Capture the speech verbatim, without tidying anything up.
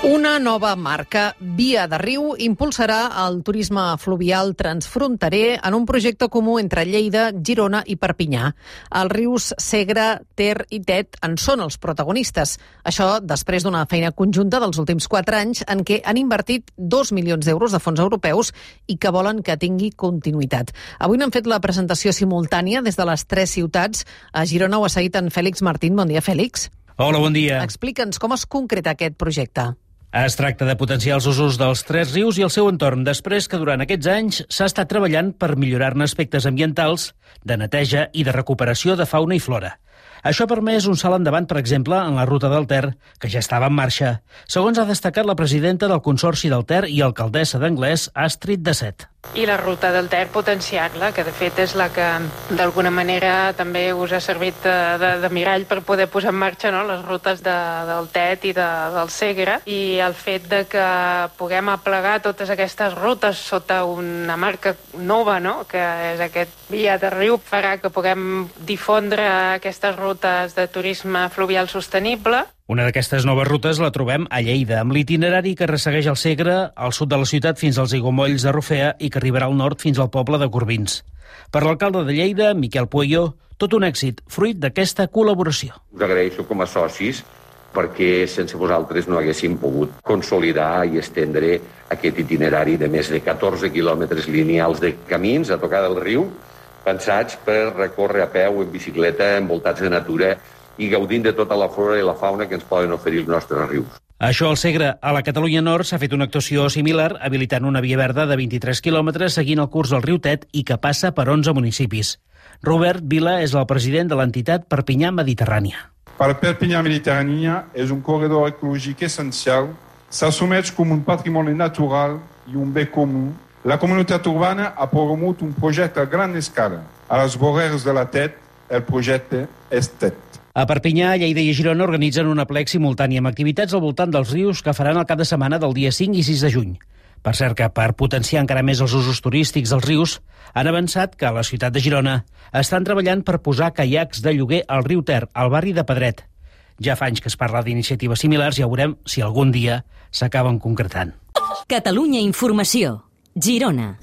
Una nova marca, Via de Riu, impulsarà el turisme fluvial transfronterer en un projecte comú entre Lleida, Girona i Perpinyà. Els rius Segre, Ter i Tet en són els protagonistes. Això després d'una feina conjunta dels últims quatre anys en què han invertit dos milions d'euros de fons europeus i que volen que tingui continuïtat. Avui n'han fet la presentació simultània des de les tres ciutats. A Girona ho ha seguit en Fèlix Martín. Bon dia, Fèlix. Hola, bon dia. Explica'ns com es concreta aquest projecte. Es tracta de potenciar els usos dels tres rius i el seu entorn, després que durant aquests anys s'ha estat treballant per millorar-ne aspectes ambientals, de neteja i de recuperació de fauna i flora. Això ha permès un salt endavant, per exemple, en la ruta del Ter, que ja estava en marxa, segons ha destacat la presidenta del Consorci del Ter i alcaldessa d'Anglès, Astrid Dacet. I la ruta del Ter potenciar-la, que de fet és la que d'alguna manera també us ha servit de, de, de mirall per poder posar en marxa, no?, les rutes de, del Tet i de, del Segre, i el fet de que puguem aplegar totes aquestes rutes sota una marca nova, no?, que és aquest Via de Riu, farà que puguem difondre aquestes rutes de turisme fluvial sostenible. Una d'aquestes noves rutes la trobem a Lleida, amb l'itinerari que ressegueix el Segre, al sud de la ciutat fins als aiguamolls de Rufea i que arribarà al nord fins al poble de Corbins. Per l'alcalde de Lleida, Miquel Pueyo, tot un èxit, fruit d'aquesta col·laboració. Us agraeixo com a socis perquè sense vosaltres no haguéssim pogut consolidar i estendre aquest itinerari de més de catorze quilòmetres lineals de camins a tocar del riu, pensats per recórrer a peu, en bicicleta, envoltats de natura i gaudint de tota la flora i la fauna que ens poden oferir els nostres rius. Això al Segre. A la Catalunya Nord s'ha fet una actuació similar, habilitant una via verda de vint-i-tres quilòmetres seguint el curs del riu Tet i que passa per onze municipis. Robert Vila és el president de l'entitat Perpinyà Mediterrània. Per Perpinyà Mediterrània és un corredor ecològic essencial, s'assumeix com un patrimoni natural i un bé comú. La comunitat urbana ha promogut un projecte a gran escala. A les vorers de la Tet, el projecte és Tet. A Perpinyà, Lleida i Girona organitzen un aplec simultani amb activitats al voltant dels rius que faran el cap de setmana del dia cinc i sis de juny. Per cert que, per potenciar encara més els usos turístics dels rius, han avançat que a la ciutat de Girona estan treballant per posar caiacs de lloguer al riu Ter, al barri de Pedret. Ja fa anys que es parla d'iniciatives similars i ja veurem si algun dia s'acaben concretant. Catalunya Informació. Girona.